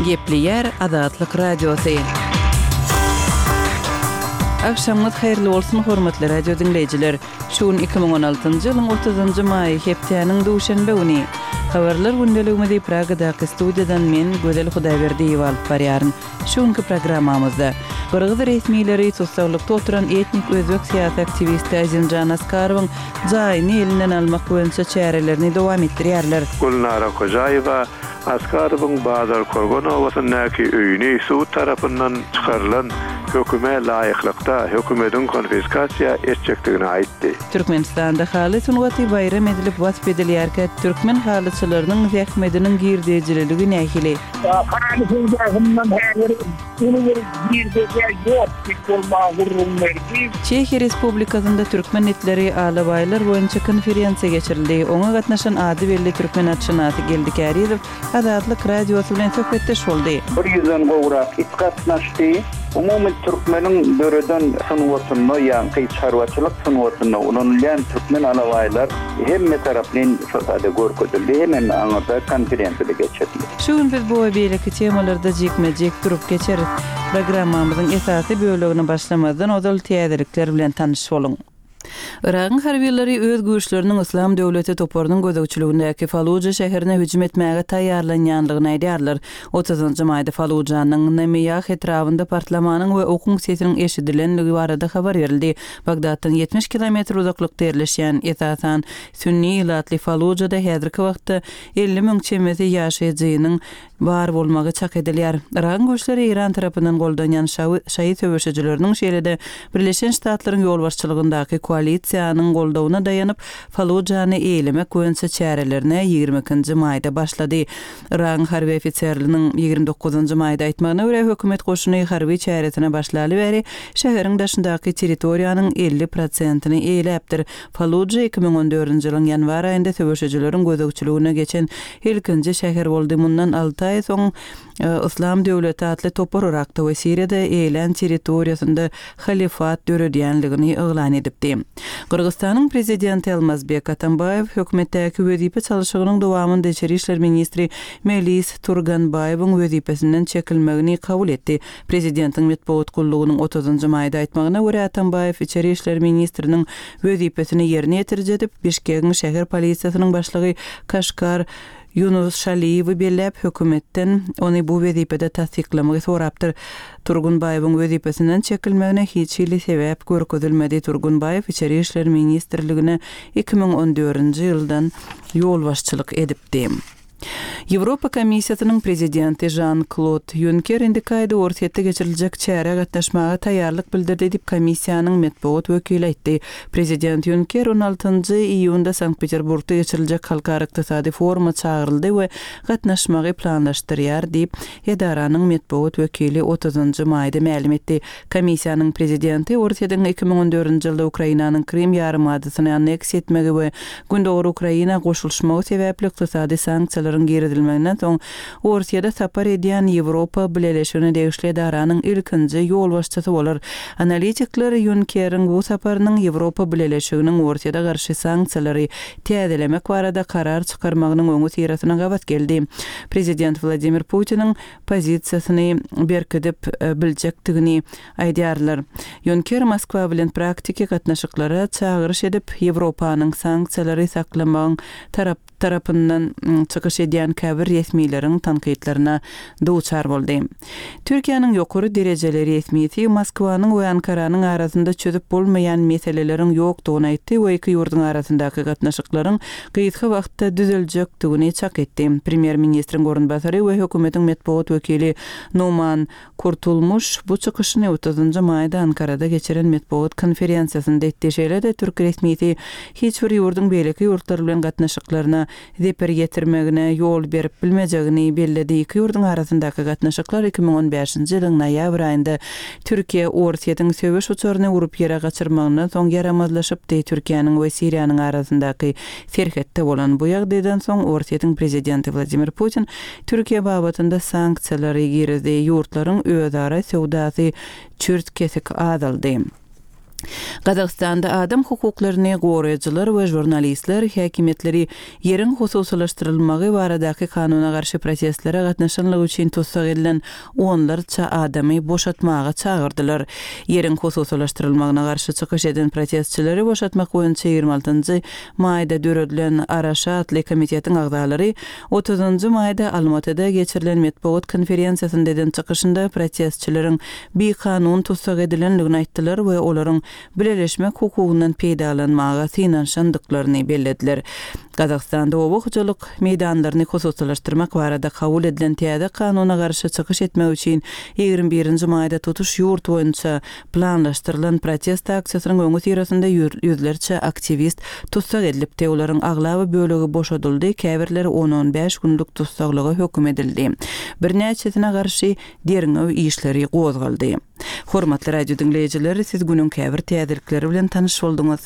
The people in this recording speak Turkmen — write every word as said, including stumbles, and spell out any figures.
Gepleýär Azatlyk Radiosy. Agşamyňyz haýyrly bolsun, hormatly radio diňleýjiler. Şu gün iki müň on altynjy ýylyň otuzynjy maýy, hepdäniň duşenbe güni. Habarlar gündeligimizi Pragadaky studiýadan men, Gözel Hudaýberdiýewa alyp barýaryn. Şu günki programmamyzda gyrgyz resmileri tussaglykda oturan etnik özbek syýasy aktiwisti Azimjan Askarowyň jaýyny elinden almak boýunça çärelerini dowam etdirýärler. Gülnara Kojaýewa Askarowyň Bazarkorgan obasyndaky öýüni sud tarapyndan çykarylan höküme laýyklykda hökümetiň konfiskasiýa etjekdigini aýtdy. Türkmenistanda haly sungaty baýram edilip wasp edilýärkä, türkmen halyçylarynyň zähmediniň girdejililigi nähili? Haly söwdasyndan häzir uly bir girdeji ýok diýip ol maňa gürrüň berdi. Çehiýa Respublikasynda türkmen itleri alabaýlar boýunça konferensiýa geçirildi. Oňa gatnaşan ady belli türkmen atşynasy Geldi Kärizow Azatlyk Radiosy bilen söhbetdeş boldy. Bir ýüzden gowrak it gatnaşdy. Umumy türkmeniň döreden sungatynda, ýaňky çarwaçylyk sungatynda ulanylýan türkmen alabaýlar hemme taraplaýyn şo taýda görkezildi, hemem aňyrda konferensiýada geçirildi. Şu gün biz bu we beýleki temalarda jikme-jik durup geçeris. Programmamyzyň esasy bölegine başlamazdan ozal täzelikler bilen tanyş boluň. Yragyň harbylary öz güýçleriniň Yslam döwleti toparynyň gözegçiligindäki Faluja şäherine hüjüm etmäge taýýarlanýandygyny aýdýarlar. Otuzynjy maýda Falujanyň Namiýah etrabynda partlamanyň we okuň sesiniň eşidilenligi barada habar berildi. Bagdatdan ýetmiş kilometr uzaklykda ýerleşýän, esasan, sünni ilatly Falujada häzirki wagtda elli müň çemesi ýaşaýjynyň bar bolmagy çak edilýär. Yragyň güýçleri Eýran tarapyndan goldanýan şaýy söweşijileriniň, şeýle-de Birleşen Ştatlaryň ýolbaşçylygyndaky koalisiýanyň goldawyna daýanyp, Falujany eýelemek boýunça çärelerine ýigrimi ikinji maýda başlady. Yragyň harby ofiserliniň ýigrimi dokuzynjy maýda aýtmagyna görä, hökümet goşuny harby çäresine başlaly bäri şäheriň daşyndaky territoriýanyň elli prosentini eýeläpdir. Faluja iki müň on dördünji ýylyň ýanwar aýynda söweşijileriň gözegçiligine geçen ilkinji şäher boldy. Mundan alty aý soň Yslam döwleti atly topar Yrakda we Siriýada eýelän territoriýasynda halifat döredýänligini yglan edipdi. Gyrgyzystanyň prezidenti Almazbek Atambaýew hökümetdäki wezipe çalşygynyň dowamynda içeri işler ministri Melis Turganbaýewiň wezipesinden çekilmegini kabul etdi. Prezidentiň metbugat gullugynyň otuzynjy maýda aýtmagyna görä, Atambaýew içeri işler ministriniň wezipesini ýerine ýetiriji edip, Bişkegiň şäher polisiýasynyň başlygy Kaşkar Ýunus Şaliýewi belläp, hökümetden ony bu wezipede tassyklamagy sorapdyr. Turgunbaýewiň wezipesinden çekilmegine hiç hili sebäp görkezilmedi. Turgunbaýew içeri işler ministrligine iki müň on dördünji ýyldan ýolbaşçylyk edipdi. Ýewropa Komissiýasynyň prezidenti Žan-Klod Ýunker indiki aýda Orsýetde geçiriljek çärä gatnaşmaga taýýarlyk bildirdi diýip, komissiýanyň metbugat wekili aýtdy. Prezident Ýunker on altynjy iýunda Sankt-Peterburgda geçiriljek halkara ykdysady foruma çagyryldy we gatnaşmagy planlaşdyrýar diýip, edaranyň metbugat wekili otuzynjy maýda mälim etdi. Komissiýanyň prezidenti Orsýetiň iki müň on dördünji ýylda Ukrainanyň Krym ýarymadasyny anneksiýa etmegi we Gündogar Ukraina goşulyşmagy sebäpli ykdysady sanksiýalaryň girizilmeginden soň Orsýede sapar edýän Ýewropa Bileleşigine degişli edaranyň ilkinji ýolbaşçysy bolar. Analitikler Ýunkeriň bu saparynyň Ýewropa Bileleşiginiň Orsýede garşy sanksiýalary täzelemek barada karar çykarmagynyň öňüsyrasyna gabat geldi. Prezident Wladimir Putiniň pozisiýasyny berkidip biljekdigini aýdýarlar. Ýunker Moskwa bilen praktiki gatnaşyklara çagyryş edip, Ýewropanyň sanksiýalary saklamagyň tarap tarapyndan çykyş edýän käbir resmileriň tankytlaryna duçar boldy. Türkiýäniň ýokary derejeli resmisi Moskwanyň we Ankaranyň arasynda çözüp bolmaýan meseleleriň ýokdugyny aýtdy we iki ýurduň arasyndaky gatnaşyklaryň gysga wagtda düzeljekdigini çak etdi. Premýer-ministriň orunbasary we hökümetiň metbugat wekili Numan Kurtulmuş bu çykyşyny otuzynjy maýda Ankarada geçiren metbugat konferensiýasynda etdi. Şeýle-de türk resmisi hiç bir ýurduň beýleki ýurtlar bilen gatnaşyklaryna zeper ýetirmegine ýol berip bilmejegini belledi. Iki ýurduň arasyndaky gatnaşyklar iki müň on bäşinji ýylyň noýabr aýynda Türkiýe Orsýetiň söweş uçaryny urup ýere gaçyrmagyndan soň ýaramazlaşypdy. Türkiýäniň we Siriýanyň arasyndaky serhetde bolan bu ýagdaýdan soň Orsýetiň prezidenti Wladimir Putin Türkiýe babatynda sanksiýalary girizdi. Ýurtlaryň özara söwdasy çürt kesik azaldy. Gazagystanda adam hukuklaryny goraýjylar we žurnalistler häkimiýetleri ýeriň hususylaşdyrylmagy baradaky kanuna garşy protestlere gatnaşanlygy üçin tussag edilen onlarça adamy boşatmaga çagyrdylar. Ýeriň hususylaşdyrylmagyna garşy çykyş eden protestçileri boşatmak boýunça ýigrimi altynjy maýda döredilen Araşa atly komitetiň agzalary otuzynjy maýda Almatyda geçirilen metbugat konferensiýasynda eden çykyşynda protestçileriň bikanun tussag edilendigini aýtdylar we olaryň bileleşmek hukugyndan peýdalanmaga synanyşandyklaryny bellediler. Gazagystanda oba hojalyk meýdanlaryny hususylaşdyrmak barada kabul edilen täze kanuna garşy çykyş etmek üçin ýigrimi birinji maýda tutuş ýurt boýunça planlaşdyrylan protest aksiýasynyň öňüsyrasynda ýüzlerçe aktiwist tussag edilipdi. Olaryň aglaba bölegi boşadyldy, käbirleri on-on bäş günlük tussaglyga höküm edildi. Birnäçesine garşy derňew işleri gozgaldy. Hormatly radio diňleýjiler, siz günüň käbir täzelikleri bilen tanyş bolduňyz.